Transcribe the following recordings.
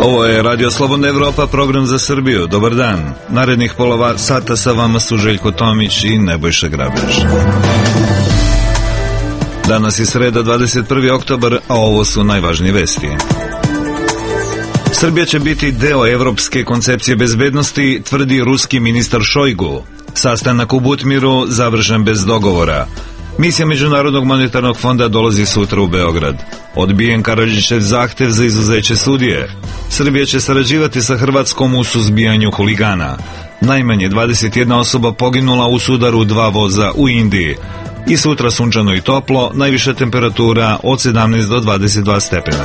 Ovo je Radio Slobodna Evropa, program za Srbiju. Dobar dan. Narednih pola sata sa vama su Željko Tomić i Nebojša Grabež. Danas je sreda, 21. oktobar, a ovo su najvažnije vesti. Srbija će biti deo evropske koncepcije bezbednosti, tvrdi ruski ministar Šojgu. Sastanak u Butmiru završen bez dogovora. Misija Međunarodnog monetarnog fonda dolazi sutra u Beograd. Odbijen Karadžićev zahtev za izuzeće sudije. Srbija će sarađivati sa Hrvatskom u suzbijanju huligana. Najmanje 21 osoba poginula u sudaru 2 voza u Indiji. I sutra sunčano i toplo, najviša temperatura od 17 do 22 stepena.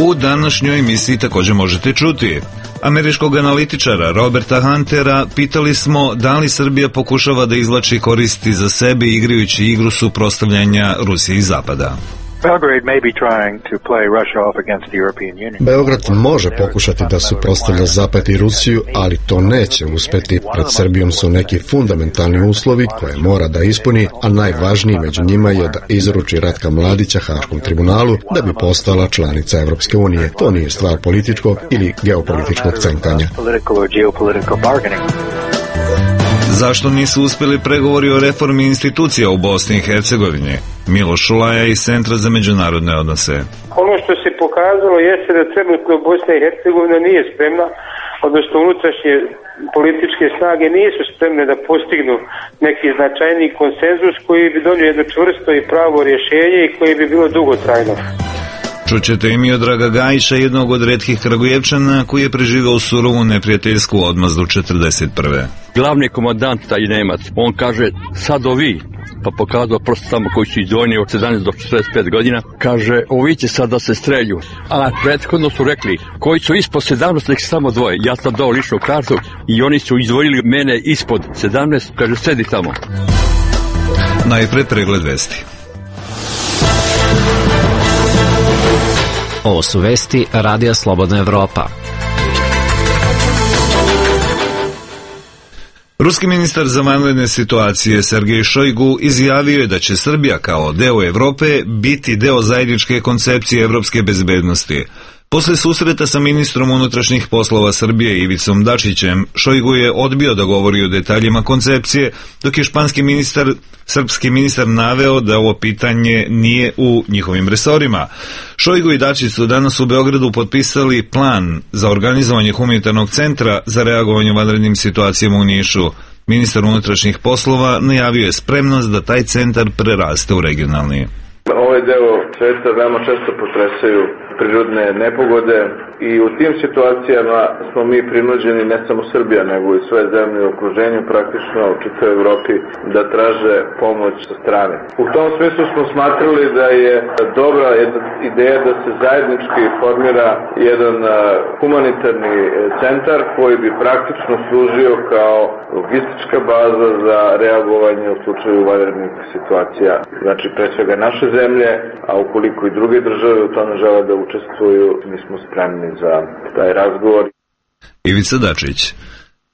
U današnjoj emisiji također možete čuti američkog analitičara Roberta Huntera. Pitali smo da li Srbija pokušava da izvlači koristi za sebe igrajući igru suprotstavljanja Rusije i Zapada. Beograd može pokušati da suprotstavlja Zapad i Rusiju, ali to neće uspeti. Pred Srbijom su neki fundamentalni uslovi koje mora da ispuni, a najvažniji među njima je da izruči Ratka Mladića Haškom tribunalu da bi postala članica Evropske unije. To nije stvar političkog ili geopolitičkog cenkanja. Zašto nisu uspjeli pregovori o reformi institucija u Bosni i Hercegovini? Miloš Šulaja iz Centra za međunarodne odnose. Ono što se pokazalo jeste da trenutno Bosna i Hercegovina nije spremna, odnosno unutrašnje političke snage nisu spremne da postignu neki značajni konsenzus koji bi donio jedno čvrsto i pravo rješenje i koji bi bilo dugotrajno. Čućete i Miodraga Gajića, jednog od retkih Kragujevčana koji je preživao surovu neprijateljsku odmazdu 1941. Glavni komandant, taj Nemac, on kaže sad ovi, pa pokazao prosto samo koji su izdvojeni od 17 do 45 godina, kaže ovi će sad da se strelju. A prethodno su rekli koji su ispod 17, nek samo dvoje. Ja sam dao ličnu kartu i oni su izdvojili mene ispod 17, kaže sedi tamo. Najpre pregled vesti. Ovo su vesti Radija Slobodna Evropa. Ruski ministar za vanredne situacije Sergej Šojgu izjavio je da će Srbija kao deo Evrope biti deo zajedničke koncepcije evropske bezbednosti. Posle susreta sa ministrom unutrašnjih poslova Srbije Ivicom Dačićem, Šojgu je odbio da govori o detaljima koncepcije, dok je srpski ministar naveo da ovo pitanje nije u njihovim resorima. Šojgu i Dačić su danas u Beogradu potpisali plan za organizovanje humanitarnog centra za reagovanje u vanrednim situacijama u Nišu. Ministar unutrašnjih poslova najavio je spremnost da taj centar preraste u regionalni. Ovaj deo sveta veoma često potresaju prirodne nepogode i u tim situacijama smo mi prinuđeni, ne samo Srbija, nego i sve zemlje u okruženju, praktično u čitavoj Evropi, da traže pomoć sa strane. U tom smislu smo smatrali da je dobra ideja da se zajednički formira jedan humanitarni centar koji bi praktično služio kao logistička baza za reagovanje u slučaju vanrednih situacija. Znači, pre svega naše zemlje, a ukoliko i druge države u tome žele da učestvuju, mi smo spremni za taj razgovor. Ivica Dačić.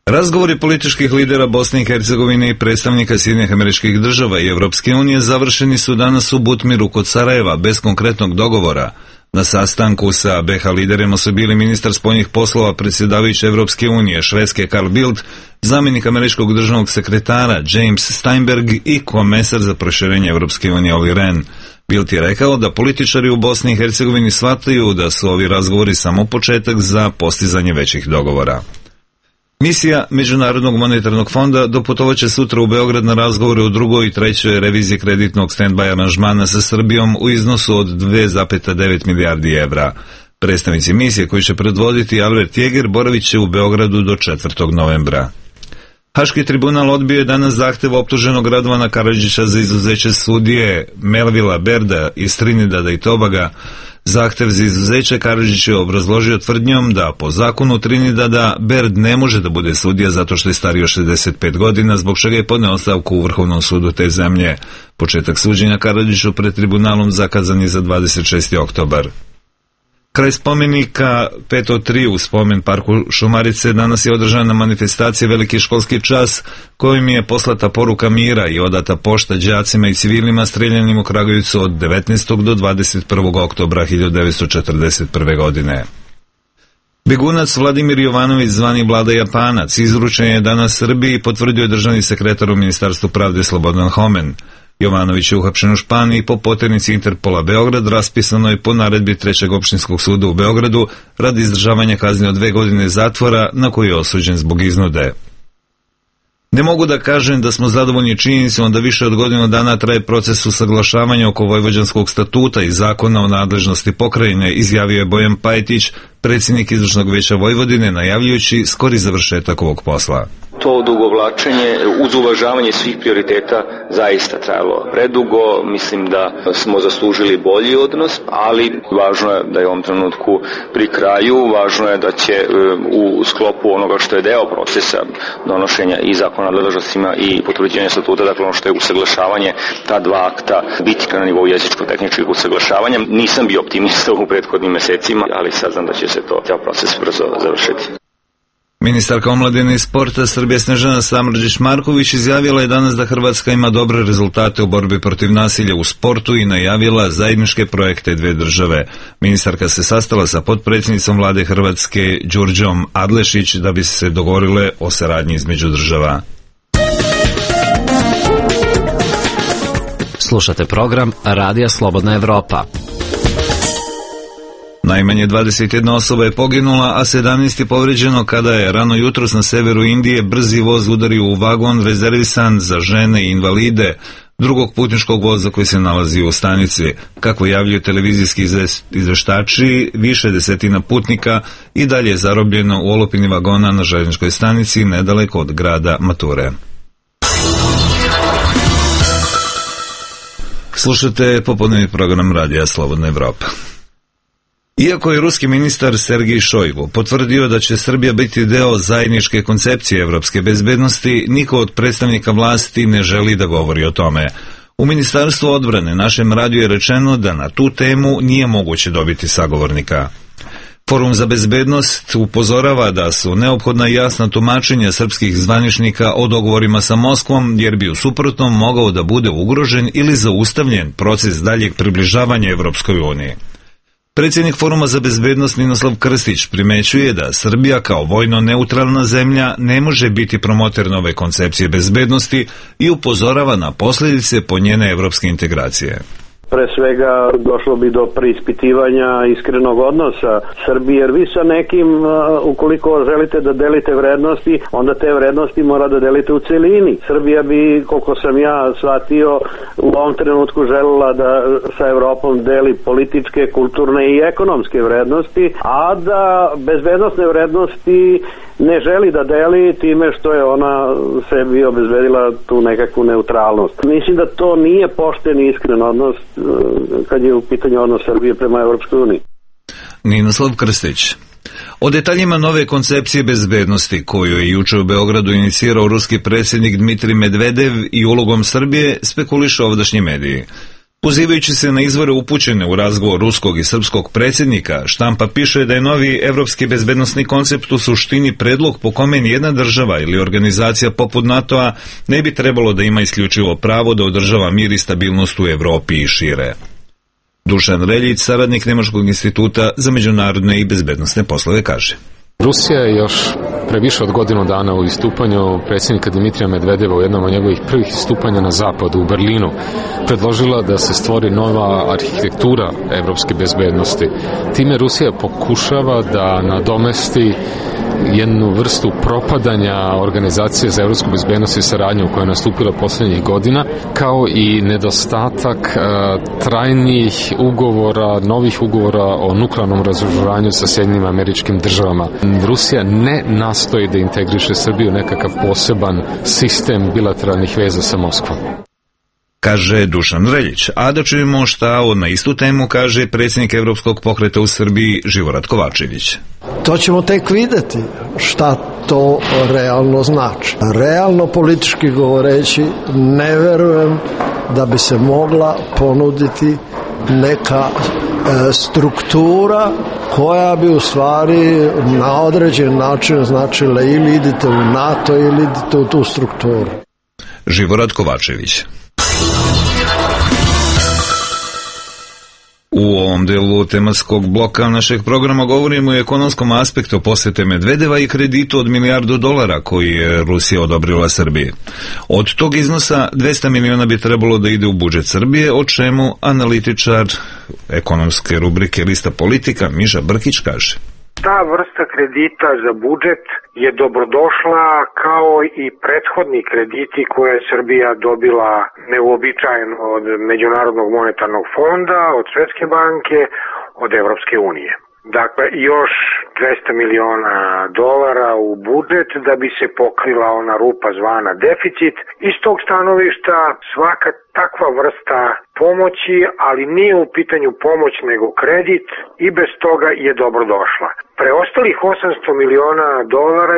Razgovori političkih lidera Bosne i Hercegovine i predstavnika Sjedinjenih Američkih Država i Evropske unije završeni su danas u Butmiru kod Sarajeva bez konkretnog dogovora. Na sastanku sa BiH liderima su bili ministar spoljnih poslova predsjedavajuće Evropske unije Švedske Carl Bildt, zamjenik američkog državnog sekretara James Steinberg i komesar za proširenje Evropske unije Olli Rehn. Bildt je rekao da političari u Bosni i Hercegovini shvataju da su ovi razgovori samo početak za postizanje većih dogovora. Misija Međunarodnog monetarnog fonda doputovaće sutra u Beograd na razgovore u drugoj i trećoj reviziji kreditnog stand-by aranžmana sa Srbijom u iznosu od 2,9 milijardi evra. Predstavnici misije koji će predvoditi Albert Jäger boravit će u Beogradu do 4. novembra. Haški tribunal odbio je danas zahtev optuženog Radovana Karadžića za izuzeće sudije Melvila Berda iz Trinidada i Tobaga. Zahtev za izuzeće Karadžić je obrazložio tvrdnjom da po zakonu Trinidada Berd ne može da bude sudija zato što je stariji od 65 godina, zbog čega je podneo ostavku u Vrhovnom sudu te zemlje. Početak suđenja Karadžiću pred tribunalom zakazan je za 26. oktobar. Kraj spomenika 503 u spomen parku Šumarice danas je održana manifestacija Veliki školski čas, kojim je poslata poruka mira i odata pošta đacima i civilima streljanim u Kragujevcu od 19. do 21. oktobra 1941. godine. Begunac Vladimir Jovanović, zvani Vlada Japanac, izručen je danas Srbiji i potvrdio je državni sekretar u Ministarstvu pravde Slobodan Homen. Jovanović je uhapšen u Španiji po poternici Interpola Beograd, raspisano je po naredbi 3. opštinskog suda u Beogradu radi izdržavanja kazne od 2 godine zatvora na koju je osuđen zbog iznude. Ne mogu da kažem da smo zadovoljni činjenicom da više od godinu dana traje proces usaglašavanja oko Vojvođanskog statuta i zakona o nadležnosti pokrajine, izjavio je Bojan Pajtić, predsjednik Izvršnog veća Vojvodine, najavljujući skori završetak ovog posla. To odugovlačenje uz uvažavanje svih prioriteta zaista trajalo predugo. Mislim da smo zaslužili bolji odnos, ali važno je da je u ovom trenutku pri kraju, važno je da će u sklopu onoga što je deo procesa donošenja i zakona o nadležnostima i potvrđivanja statuta, dakle ono što je usaglašavanje ta dva akta, biti na nivou jezičko-tehničkih usaglašavanja. Nisam bio optimista u prethodnim mesecima, ali saznam da će se taj proces brzo završiti. Ministarka omladine i sporta Srbije Snežana Samrđić-Marković izjavila je danas da Hrvatska ima dobre rezultate u borbi protiv nasilja u sportu i najavila zajedničke projekte dve države. Ministarka se sastala sa potpredsjednicom vlade Hrvatske Đurđom Adlešić da bi se dogovorile o saradnji između država. Slušate program Radija Slobodna Evropa. Najmanje 21 osoba je poginula, a 17 je povređeno kada je rano jutros na severu Indije brzi voz udario u vagon rezervisan za žene i invalide drugog putničkog voza koji se nalazi u stanici. Kako javljaju televizijski izveštači, više desetina putnika i dalje je zarobljeno u olupini vagona na željezničkoj stanici nedaleko od grada Mature. Slušate popodnevni program Radija Slobodna Evropa. Iako je ruski ministar Sergej Šojgu potvrdio da će Srbija biti deo zajedničke koncepcije evropske bezbednosti, niko od predstavnika vlasti ne želi da govori o tome. U Ministarstvu odbrane našem radiju je rečeno da na tu temu nije moguće dobiti sagovornika. Forum za bezbednost upozorava da su neophodna jasna tumačenja srpskih zvaničnika o dogovorima sa Moskvom, jer bi u suprotnom mogao da bude ugrožen ili zaustavljen proces daljeg približavanja Evropskoj uniji. Predsjednik Foruma za bezbednost Ninoslav Krstić primećuje da Srbija kao vojno neutralna zemlja ne može biti promoter nove koncepcije bezbednosti i upozorava na posljedice po njene evropske integracije. Pre svega došlo bi do preispitivanja iskrenog odnosa Srbije, jer vi sa nekim, ukoliko želite da delite vrednosti, onda te vrednosti mora da delite u celini. Srbija bi, koliko sam ja shvatio, u ovom trenutku želela da sa Evropom deli političke, kulturne i ekonomske vrednosti, a da bezbednosne vrednosti ne želi da deli time što je ona sebi obezbedila tu nekakvu neutralnost. Mislim da to nije pošten i iskren odnos kad je u pitanju odnos Srbije prema Evropskoj uniji. Ninoslav Krstić. O detaljima nove koncepcije bezbednosti koju je juče u Beogradu inicirao ruski predsjednik Dmitrij Medvedev i ulogom Srbije spekuliše ovdašnji mediji. Pozivajući se na izvore upućene u razgovor ruskog i srpskog predsjednika, štampa piše da je novi evropski bezbednosni koncept u suštini predlog po kome nijedna država ili organizacija poput NATO-a ne bi trebalo da ima isključivo pravo da održava mir i stabilnost u Evropi i šire. Dušan Reljić, saradnik Nemačkog instituta za međunarodne i bezbednosne poslove, kaže: Rusija je još pre više od godinu dana u istupanju predsjednika Dimitrija Medvedeva u jednom od njegovih prvih istupanja na zapadu u Berlinu predložila da se stvori nova arhitektura evropske bezbednosti. Time Rusija pokušava da nadomesti jednu vrstu propadanja Organizacije za evropsku bezbednost i saradnju koja je nastupila poslednjih godina, kao i nedostatak trajnih ugovora, novih ugovora o nuklearnom razoružanju sa Sjedinjenim Američkim Državama. Rusija ne nastoji da integriše Srbiju nekakav poseban sistem bilateralnih veza sa Moskvom, kaže Dušan Reljić. A da čujemo šta na istu temu kaže predsjednik Evropskog pokreta u Srbiji Živorad Kovačević. To ćemo tek videti šta to realno znači. Realno politički govoreći ne verujem da bi se mogla ponuditi neka struktura koja bi u stvari na određen način značila ili idite u NATO ili idite u tu strukturu. Živorad Kovačević. U ovom delu tematskog bloka našeg programa govorimo o ekonomskom aspektu posjete Medvedeva i kreditu od $1 milijardu koji je Rusija odobrila Srbiji. Od tog iznosa 200 miliona bi trebalo da ide u budžet Srbije, o čemu analitičar ekonomske rubrike Lista politika Miša Brkić kaže. Ta vrsta kredita za budžet je dobrodošla kao i prethodni krediti koje je Srbija dobila neuobičajeno od Međunarodnog monetarnog fonda, od Svetske banke, od Evropske unije. Dakle, još $200 miliona u budžet da bi se pokrila ona rupa zvana deficit. Iz tog stanovišta svaka takva vrsta pomoći, ali nije u pitanju pomoć nego kredit i bez toga je dobrodošla. Preostalih $800 miliona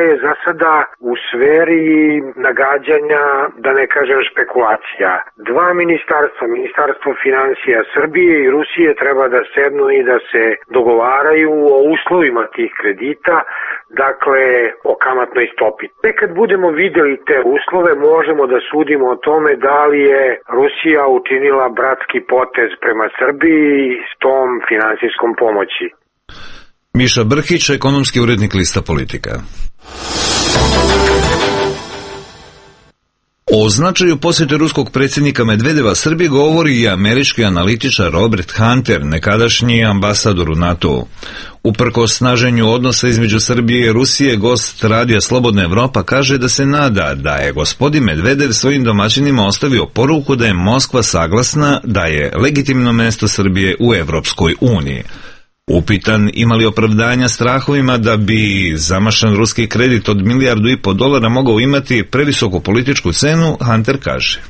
je za sada u sferi nagađanja, da ne kažem špekulacija. Dva ministarstva, Ministarstvo financija Srbije i Rusije treba da sednu i da se dogovaraju o uslovima tih kredita, dakle o kamatnoj stopi. Tek kad budemo vidjeli te uslove možemo da sudimo o tome da li je Rusija učinila bratski potez prema Srbiji s tom finansijskom pomoći. Miša Brkić, ekonomski urednik Lista politika. O značaju posjete ruskog predsjednika Medvedeva Srbiji govori i američki analitičar Robert Hunter, nekadašnji ambasador u NATO-u. Uprkos snaženju odnosa između Srbije i Rusije, gost radija Slobodna Evropa kaže da se nada da je gospodin Medvedev svojim domaćinima ostavio poruku da je Moskva saglasna da je legitimno mesto Srbije u Evropskoj uniji. Upitan ima li opravdanja strahovima da bi zamašan ruski kredit od $1,5 milijarda mogao imati previsoku političku cenu, Hunter kaže.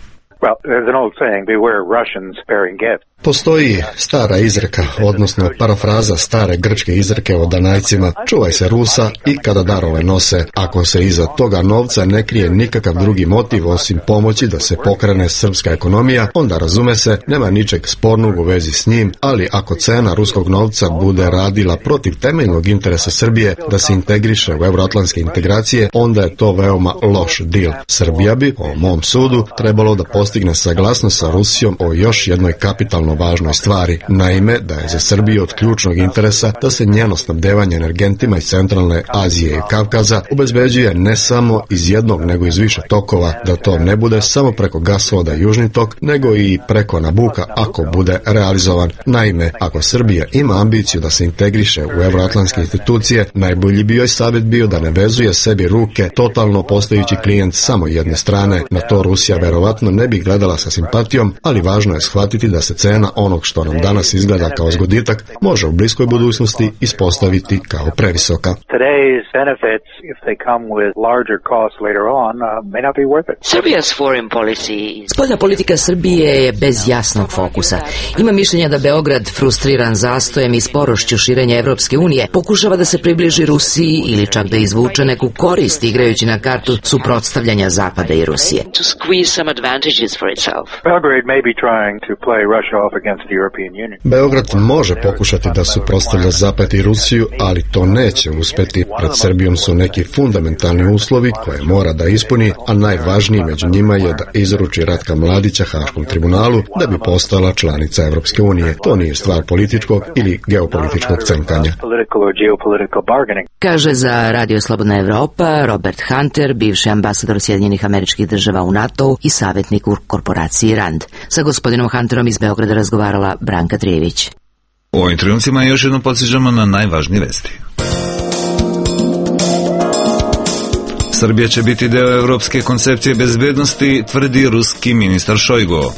Postoji stara izreka, odnosno parafraza stare grčke izreke o Danajcima: čuvaj se Rusa i kada darove nose. Ako se iza toga novca ne krije nikakav drugi motiv osim pomoći da se pokrene srpska ekonomija, onda razume se, nema ničeg spornog u vezi s njim, ali ako cena ruskog novca bude radila protiv temeljnog interesa Srbije da se integriše u euroatlantske integracije, onda je to veoma loš deal. Srbija bi, po mom sudu, trebalo da postigne saglasnost sa Rusijom o još jednoj kapitalno važnoj stvari. Naime, da je za Srbiju od ključnog interesa da se njeno snabdevanje energentima iz centralne Azije i Kavkaza obezbeđuje ne samo iz jednog nego iz više tokova, da to ne bude samo preko gasovoda Južni tok, nego i preko Nabuka ako bude realizovan. Naime, ako Srbija ima ambiciju da se integriše u euroatlantske institucije, najbolji bi joj savjet bio da ne vezuje sebi ruke totalno postajući klijent samo jedne strane. Na to Rusija verovatno ne bi gledala sa simpatijom, ali važno je shvatiti da se cena onog što nam danas izgleda kao zgoditak može u bliskoj budućnosti ispostaviti kao previsoka. Spoljna politika Srbije je bez jasnog fokusa. Ima mišljenja da Beograd, frustriran zastojem i sporošću širenja Evropske unije, pokušava da se približi Rusiji ili čak da izvuče neku korist igrajući na kartu suprotstavljanja Zapada i Rusije. Beograd može pokušati da suprotstavlja Zapad i Rusiju, ali to neće uspeti. Pred Srbijom su neki fundamentalni uslovi koje mora da ispuni, a najvažniji među njima je da izruči Ratka Mladića Haškom tribunalu da bi postala članica Evropske unije. To nije stvar političkog ili geopolitičkog cenkanja. Kaže za Radio Slobodna Evropa Robert Hunter, bivši ambasador Sjedinjenih Američkih Država u NATO i savjetnik u korporaciji RAND. Sa gospodinom Hunterom iz Beograda razgovarala Branka Trijević. U ovim trenucima još jednom podsjećamo na najvažnije vesti. Srbija će biti deo evropske koncepcije bezbednosti, tvrdi ruski ministar Šojgu.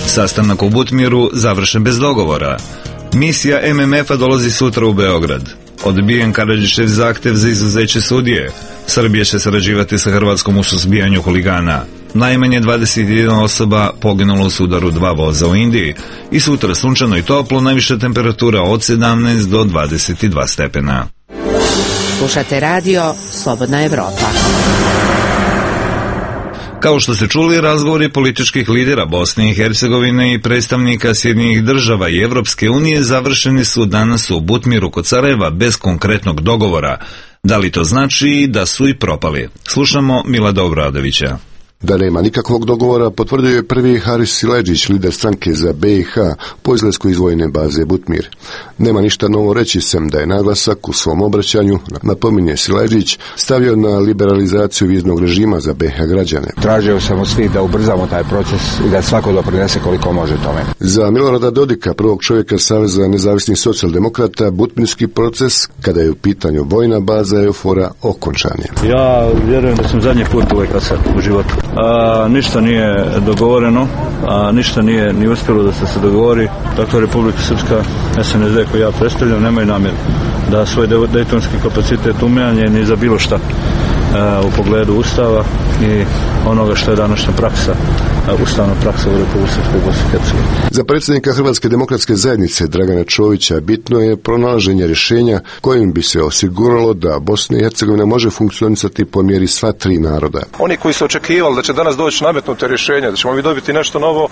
Sastanak u Butmiru završen bez dogovora. Misija MMF-a dolazi sutra u Beograd. Odbijen Karadžićev zahtev za izuzeće sudije. Srbija će sarađivati sa Hrvatskom u suzbijanju huligana. Najmanje 21 osoba poginulo u sudaru 2 voza u Indiji. I sutra sunčano i toplo, najviša temperatura od 17 do 22 stepena. Slušate radio Slobodna Evropa. Kao što ste čuli, razgovori političkih lidera Bosne i Hercegovine i predstavnika Sjedinjenih država i Evropske unije završeni su danas u Butmiru kod Sarajeva bez konkretnog dogovora. Da li to znači da su i propali? Slušamo Milada Obradovića. Da nema nikakvog dogovora potvrdio je prvi Haris Siledžić, lider stranke za BiH, po izlasku iz vojne baze Butmir. Nema ništa novo reći, sem da je naglasak u svom obraćanju, napominje Siledžić, stavio na liberalizaciju viznog režima za BiH građane. Tražio sam od svih da ubrzamo taj proces i da svako doprinese koliko može tome. Za Milorada Dodika, prvog čovjeka Saveza nezavisnih socijaldemokrata, butmirski proces, kada je u pitanju vojna baza EUFOR-a, okončan je. Ja vjerujem da sam zadnji put uvek sad u životu. Ništa nije dogovoreno, ništa nije ni uspjelo da se dogovori. Dakle, Republika Srpska, SNSD koju ja predstavljam, nemaju namjeru da svoj dejtonski kapacitet umanje ni za bilo šta u pogledu Ustava i onoga što je današnja praksa, ustavna praksa u Republici Srpskoj i Bosni i Hercegovini. Za predsjednika Hrvatske demokratske zajednice Dragana Čovića bitno je pronalaženje rješenja kojim bi se osiguralo da Bosna i Hercegovina može funkcionisati po mjeri sva tri naroda. Oni koji su očekivali da će danas doći nametnute rješenja, da ćemo mi dobiti nešto novo,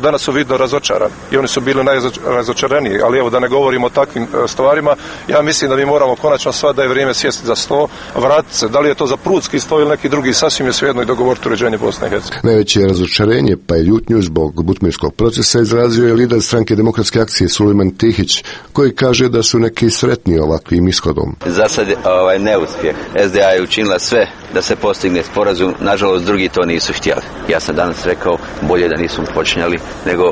danas su vidno razočarani. I oni su bili najrazočaraniji, ali evo da ne govorimo o takvim stvarima, ja mislim da mi moramo konačno da je vrijeme sjesti za sto, vratiti se, da li je to za prudski sto ili neki drugi, sasvim je svejedno i dogovoriti uređenje Bosne i Hercegovine. Najveće razočarenje pa i ljutnju zbog butmirskog procesa izrazio je lider stranke Demokratske akcije Sulejman Tihić, koji kaže da su neki sretni ovakvim ishodom. Za sad neuspjeh. SDA je učinila sve da se postigne sporazum, nažalost drugi to nisu htjeli. Ja sam danas rekao bolje da nismo počinjali nego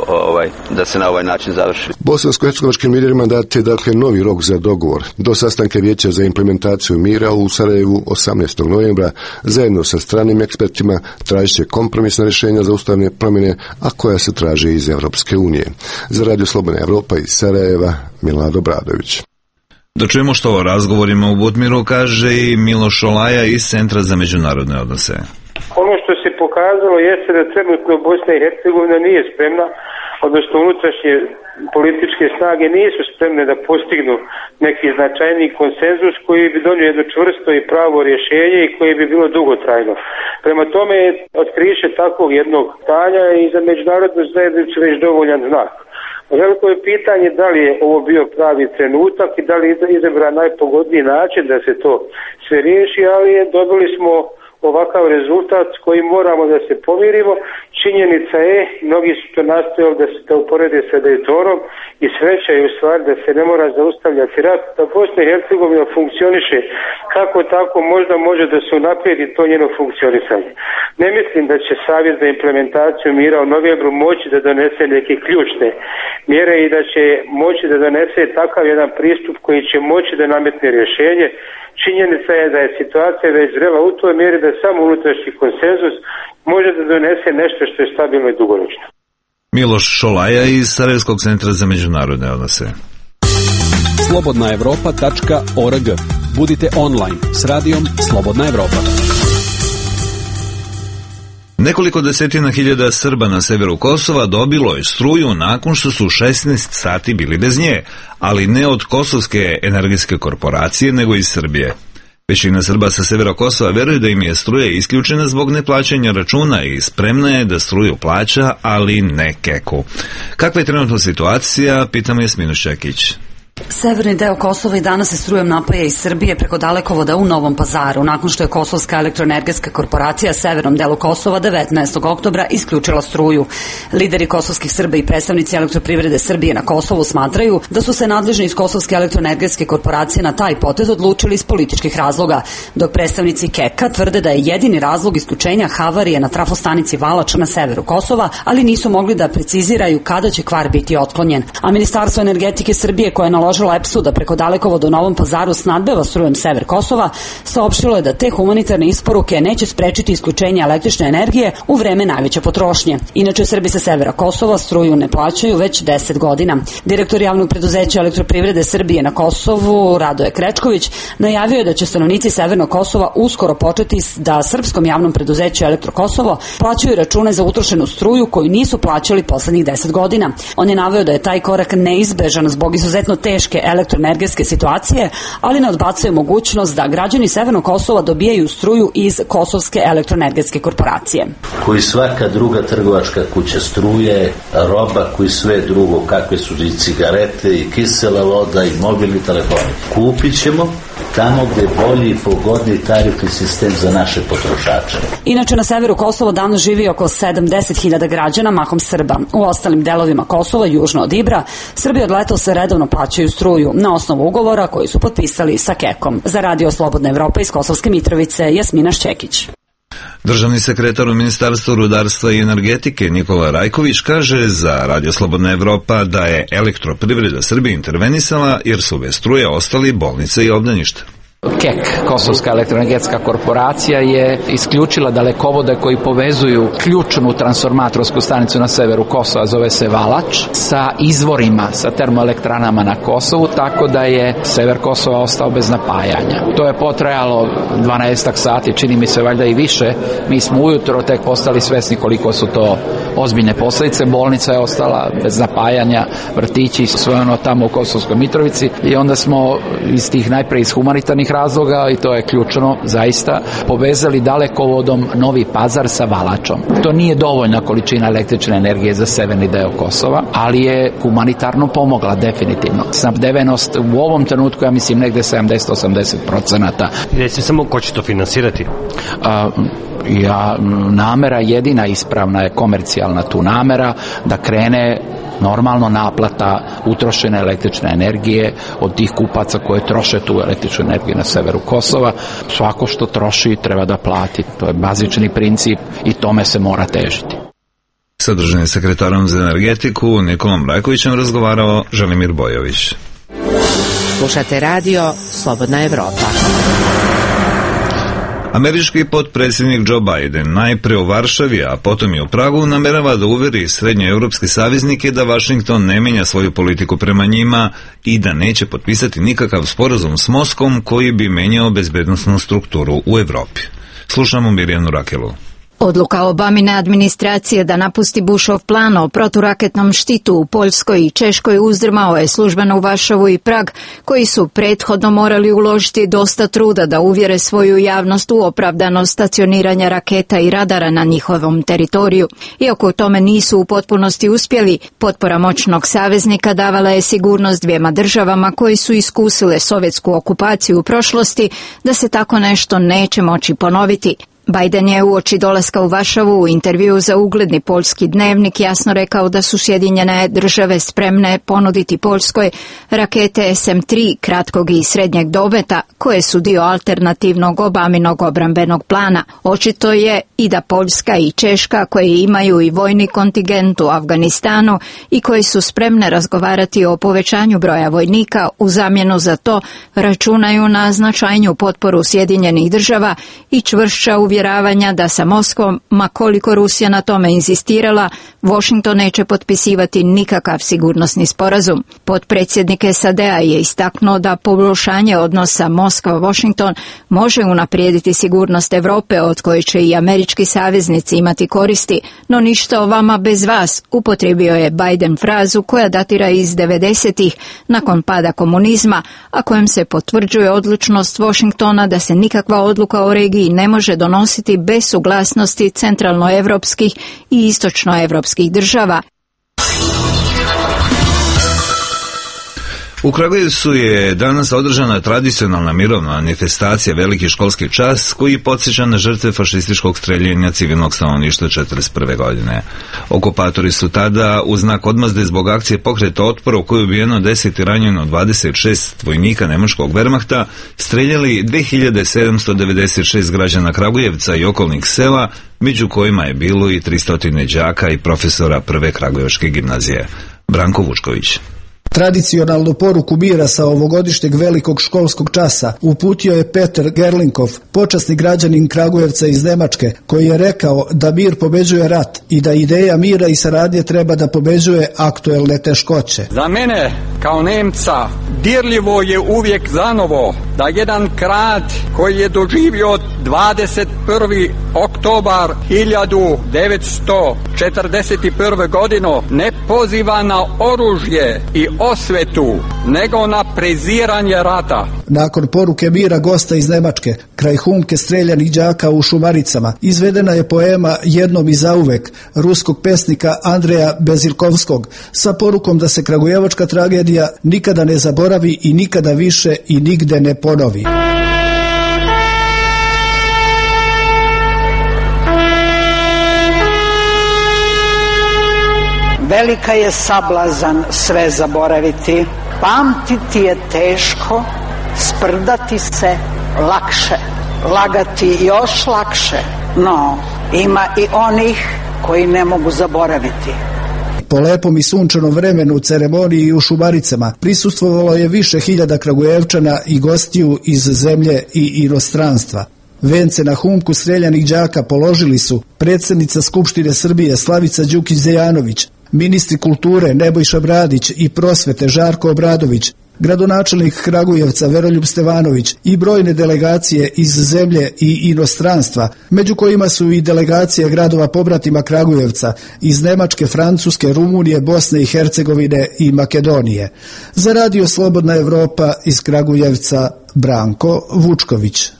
da se na ovaj način završi. Bosansko-hercegovačkim liderima dat je dakle novi rok za dogovor. Do sastanka Vijeća za implementaciju mira u Sarajevu 18. novembra zajedno sa stranim ekspertima tražit će kompromisna rješenja za ustavne promjene, a koja se traže iz Evropske unije. Za Radio Slobodna Evropa iz Sarajeva, Milad Obradović. Da čujemo što o razgovorima u Butmiru kaže i Miloš Šolaja iz Centra za međunarodne odnose. Ono što se pokazalo jeste da trenutno Bosna i Hercegovina nije spremna, odnosno unutrašnje političke snage nisu spremne da postignu neki značajniji konsenzus koji bi donio jedno čvrsto i pravo rješenje i koje bi bilo dugotrajno. Prema tome, otkriće takvog jednog stanja i za međunarodnu zajednicu već dovoljan znak. Veliko je pitanje da li je ovo bio pravi trenutak i da li je izabran najpogodniji način da se to sve riješi, ali dobili smo ovakav rezultat s kojim moramo da se pomirimo. Činjenica je, mnogi su to nastojali da se to uporede sa Dejtonom i sreća je u stvari da se ne mora zaustavljati rat, da Bosna i Hercegovina funkcioniše kako tako možda može da se unaprijedi to njeno funkcionisanje. Ne mislim da će Savjet za implementaciju mira u novembru moći da donese neke ključne mjere i da će moći da donese takav jedan pristup koji će moći da nametne rješenje. Činjenica je da je situacija već zrela u toj mjeri da samo unutrašnji konsenzus može da donese nešto što je stabilno i dugoročno. Miloš Šolaja iz Sarajevskog centra za međunarodne odnose. slobodnaevropa.org. Budite online s radijom Slobodna Evropa. Nekoliko desetina hiljada Srba na severu Kosova dobilo je struju nakon što su 16 sati bili bez nje, ali ne od Kosovske energetske korporacije, nego iz Srbije. Većina Srba sa severa Kosova veruje da im je struja isključena zbog neplaćanja računa i spremna je da struju plaća, ali ne keku. Kakva je trenutna situacija, pitamo Jasminu Šekić. Severni deo Kosova i danas se strujom napaja iz Srbije preko dalekovoda u Novom Pazaru, nakon što je Kosovska elektroenergetska korporacija severnom delu Kosova 19. oktobra isključila struju. Lideri kosovskih Srba i predstavnici elektroprivrede Srbije na Kosovu smatraju da su se nadležni iz Kosovske elektroenergetske korporacije na taj potez odlučili iz političkih razloga, dok predstavnici KEK-a tvrde da je jedini razlog isključenja havarije na trafostanici Valač na severu Kosova, ali nisu mogli da preciziraju kada će kvar biti otklonjen. A Ministarstvo energetike Srbije, koje je naložilo EPS-u da preko dalekovoda u Novom Pazaru snadbeva strujem sever Kosova, saopštilo je da te humanitarne isporuke neće sprečiti isključenje električne energije u vreme najveće potrošnje. Inače, Srbi sa severa Kosova struju ne plaćaju već 10 godina. Direktor javnog preduzeća elektroprivrede Srbije na Kosovu, Radoje Krečković, najavio je da će stanovnici severnog Kosova uskoro početi da srpskom javnom preduzeću Elektro Kosovo plaćaju račune za utrošenu struju koju nisu plaćali poslednjih 10 godina. On je naveo da je taj korak neizbežan zbog izuzetno teške teške elektroenergetske situacije, ali ne odbacuje mogućnost da građani Severnog Kosova dobijaju struju iz Kosovske elektroenergetske korporacije. Koji svaka druga trgovačka kuća struje, roba, koji sve drugo, kakve su i cigarete i kisela voda i mobilni telefoni. Kupit ćemo tamo gde je bolji i pogodniji tarifni sistem za naše potrošače. Inače, na severu Kosova danas živi oko 70.000 građana, mahom Srba. U ostalim delovima Kosova, južno od Ibra, Srbi od letosa redovno plaćaju struju na osnovu ugovora koji su potpisali sa KEK-om. Za Radio Slobodna Evropa iz Kosovske Mitrovice, Jasmina Šćekić. Državni sekretar u Ministarstvu rudarstva i energetike Nikola Rajković kaže za Radio Slobodna Evropa da je Elektroprivreda Srbije intervenisala jer su bez struje ostali bolnice i obdaništa. KEK, Kosovska elektroenergetska korporacija, je isključila dalekovode koji povezuju ključnu transformatorsku stanicu na severu Kosova, zove se Valač, sa izvorima, sa termoelektranama na Kosovu, tako da je sever Kosova ostao bez napajanja. To je potrajalo 12 sati, čini mi se valjda i više. Mi smo ujutro tek postali svesni koliko su to ozbiljne posljedice. Bolnica je ostala bez napajanja, vrtići, sve ono tamo u Kosovskoj Mitrovici, i onda smo iz tih najpre iz humanitarnih razloga, i to je ključno zaista, povezali dalekovodom Novi Pazar sa Valačom. To nije dovoljna količina električne energije za severni deo Kosova, ali je humanitarno pomogla definitivno. Snabdevenost u ovom trenutku, ja mislim, negde 70-80%. Recimo samo ko će to finansirati? Namera jedina ispravna je komercijalna tu namera, da krene normalno naplata utrošene električne energije od tih kupaca koje troše tu električnu energiju na severu Kosova. Svako što troši treba da plati. To je bazični princip i tome se mora težiti. Sa državnim sekretarom za energetiku Nikolom Rajkovićem razgovarao Želimir Bojović. Slušate radio Slobodna Evropa. Američki potpredsjednik Joe Biden najpre u Varšavi, a potom i u Pragu namerava da uveri srednjoevropske saveznike da Vašington ne menja svoju politiku prema njima i da neće potpisati nikakav sporazum s Moskvom koji bi menjao bezbednosnu strukturu u Evropi. Slušamo Mirjanu Rakelu. Odluka Obamine administracije da napusti Bushov plan o proturaketnom štitu u Poljskoj i Češkoj uzdrmao je službeno u Varšavu i Prag, koji su prethodno morali uložiti dosta truda da uvjere svoju javnost u opravdanost stacioniranja raketa i radara na njihovom teritoriju. Iako u tome nisu u potpunosti uspjeli, potpora moćnog saveznika davala je sigurnost dvijema državama koji su iskusile sovjetsku okupaciju u prošlosti da se tako nešto neće moći ponoviti. Biden je uoči dolaska u Varšavu u intervju za ugledni poljski dnevnik jasno rekao da su Sjedinjene države spremne ponuditi Poljskoj rakete SM-3 kratkog i srednjeg dometa koje su dio alternativnog Obaminog obrambenog plana. Očito je i da Poljska i Češka, koje imaju i vojni kontingent u Afganistanu i koji su spremne razgovarati o povećanju broja vojnika, u zamjenu za to računaju na značajniju potporu Sjedinjenih država i čvršća uvjeravanja da sa Moskvom, ma koliko Rusija na tome inzistirala, Washington neće potpisivati nikakav sigurnosni sporazum. Potpredsjednik SAD-a je istaknuo da poboljšanje odnosa Moskva-Washington može unaprijediti sigurnost Europe, od koje će i američki saveznici imati koristi, no ništa o vama bez vas, upotrijebio je Biden frazu koja datira iz 90-ih nakon pada komunizma, a kojem se potvrđuje odlučnost Washingtona da se nikakva odluka o regiji ne može donositi bez suglasnosti centralnoevropskih i istočnoevropskih država. U Kragujevcu je danas održana tradicionalna mirovna manifestacija Veliki školski čas koji podsjeća na žrtve fašističkog streljenja civilnog stanovništva 1941. godine. Okupatori su tada, u znak odmazde zbog akcije pokreta otpora u kojoj je ubijeno 10 i ranjeno 26 vojnika nemačkog Wehrmachta, streljali 2796 građana Kragujevca i okolnih sela, među kojima je bilo i 300 đaka i profesora prve Kragujevačke gimnazije. Branko Vučković. Tradicionalnu poruku mira sa ovogodišnjeg velikog školskog časa uputio je Peter Gerlinkov, počasni građanin Kragujevca iz Nemačke, koji je rekao da mir pobeđuje rat i da ideja mira i saradnje treba da pobeđuje aktuelne teškoće. Za mene, kao Nemca, dirljivo je uvijek zanovo da jedan grad koji je doživio 21. oktobar 1941. godinu ne poziva na oružje i osvetu, nego na preziranje rata. Nakon poruke mira gosta iz Nemačke, kraj humke streljanih đaka u Šumaricama, izvedena je poema Jednom i zauvek ruskog pesnika Andreja Bezirkovskog sa porukom da se kragujevačka tragedija nikada ne zaboravi i nikada više i nigde ne ponovi. Velika je sablazan sve zaboraviti, pamtiti je teško, sprdati se lakše, lagati još lakše, no ima i onih koji ne mogu zaboraviti. Po lepom i sunčanom vremenu u ceremoniji u Šumaricama prisustvovalo je više hiljada Kragujevčana i gostiju iz zemlje i inostranstva. Vence na humku streljanih đaka položili su predsjednica Skupštine Srbije Slavica Đukić-Dejanović, ministri kulture Nebojša Bradić i prosvete Žarko Obradović, gradonačelnik Kragujevca Veroljub Stevanović i brojne delegacije iz zemlje i inostranstva, među kojima su i delegacije gradova pobratima Kragujevca iz Nemačke, Francuske, Rumunije, Bosne i Hercegovine i Makedonije. Za Radio Slobodna Evropa iz Kragujevca Branko Vučković.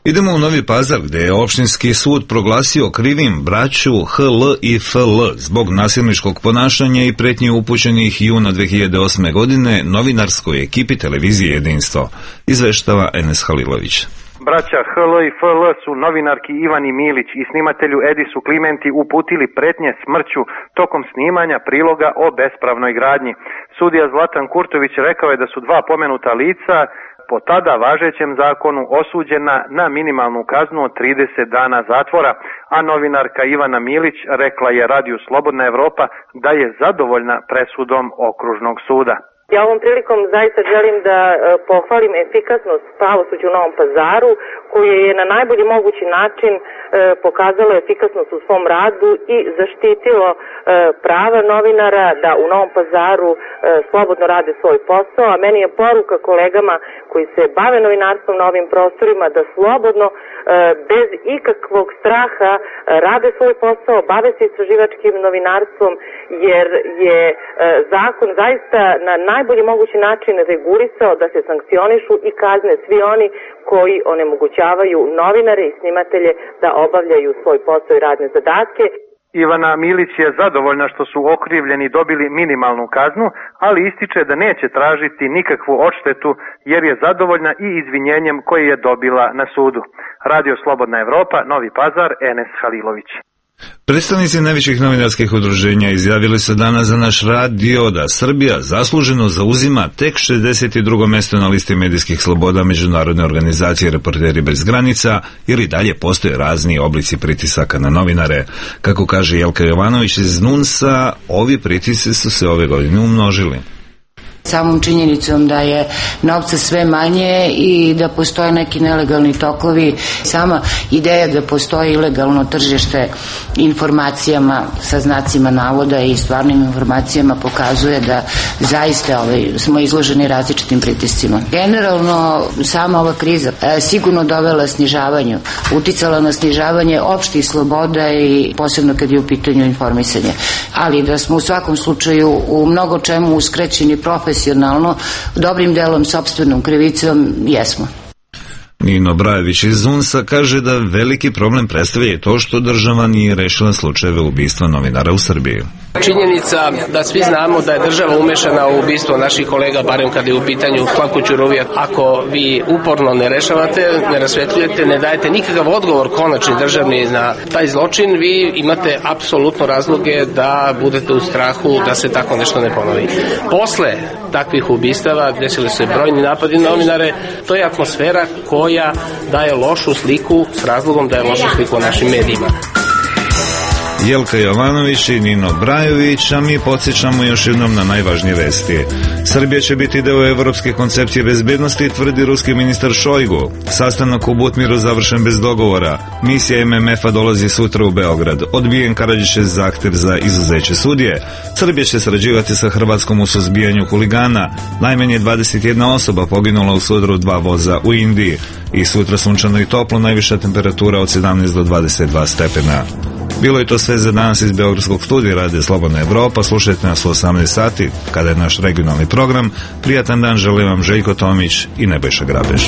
Idemo u Novi Pazar, gdje je opštinski sud proglasio krivim braću HL i FL zbog nasilničkog ponašanja i pretnji upućenih juna 2008. godine novinarskoj ekipi televizije Jedinstvo, izveštava Enes Halilović. Braća HL i FL su novinarki Ivani Milić i snimatelju Edisu Klimenti uputili pretnje smrću tokom snimanja priloga o bespravnoj gradnji. Sudija Zlatan Kurtović rekao je da su dva pomenuta lica po tada važećem zakonu osuđena na minimalnu kaznu od 30 dana zatvora, a novinarka Ivana Milić rekla je Radiju Slobodna Evropa da je zadovoljna presudom okružnog suda. Ja ovom prilikom zaista želim da pohvalim efikasnost pravosuđa u Novom Pazaru, koje je na najbolji mogući način pokazalo efikasnost u svom radu i zaštitilo prava novinara da u Novom Pazaru slobodno rade svoj posao, a meni je poruka kolegama koji se bave novinarstvom na ovim prostorima da slobodno, bez ikakvog straha rade svoj posao, bave se istraživačkim novinarstvom, jer je zakon zaista na najbolji mogući način regulisao da se sankcionišu i kazne svi oni koji onemogućavaju novinare i snimatelje da obavljaju svoj posao i radne zadatke. Ivana Milić je zadovoljna što su okrivljeni dobili minimalnu kaznu, ali ističe da neće tražiti nikakvu odštetu jer je zadovoljna i izvinjenjem koje je dobila na sudu. Radio Slobodna Evropa, Novi Pazar, Enes Halilović. Predstavnici najvećih novinarskih udruženja izjavili su danas za naš radio da Srbija zasluženo zauzima tek 62. mesto na listi medijskih sloboda Međunarodne organizacije Reporteri bez granica, jer i dalje postoje razni oblici pritisaka na novinare. Kako kaže Jelka Jovanović iz NUNS-a, ovi pritisci su se ove godine umnožili. Samom činjenicom da je novca sve manje i da postoje neki nelegalni tokovi, sama ideja da postoji ilegalno tržište informacijama sa znacima navoda i stvarnim informacijama pokazuje da zaista smo izloženi različitim pritiscima. Generalno sama ova kriza sigurno dovela snižavanju, uticala na snižavanje opštih sloboda i posebno kad je u pitanju informisanje. Ali da smo u svakom slučaju u mnogo čemu uskraćeni profesionalno, dobrim delom sopstvenom krivicom, jesmo. Nino Brajević iz UNS-a kaže da veliki problem predstavlja to što država nije rešila slučajeve ubistva novinara u Srbiji. Činjenica da svi znamo da je država umešana u ubistvo naših kolega, barem kada je u pitanju Slavko Ćuruvija. Ako vi uporno ne rešavate, ne rasvetljujete, ne dajete nikakav odgovor konačni državni na taj zločin, vi imate apsolutno razloge da budete u strahu da se tako nešto ne ponovi. Posle takvih ubistava desili se brojni napadi na novinare, to je atmosfera koja daje lošu sliku s razlogom da je lošu sliku o našim medijima. Jelka Jovanović i Nino Brajović, a mi podsjećamo još jednom na najvažnije vesti. Srbija će biti deo evropske koncepcije bezbednosti, tvrdi ruski ministar Šojgu. Sastanak u Butmiru završen bez dogovora. Misija MMF-a dolazi sutra u Beograd. Odbijen Karadžićev zahtev za izuzeće sudije. Srbija će sarađivati sa Hrvatskom u suzbijanju huligana. Najmanje 21 osoba poginula u sudaru 2 voza u Indiji. I sutra sunčano i toplo, najviša temperatura od 17 do 22 stepena. Bilo je to sve za danas iz Beogradskog studija Radio Slobodna Evropa. Slušajte nas u 18 sati, kada je naš regionalni program. Prijatan dan želim vam Željko Tomić i Nebojša Grabež.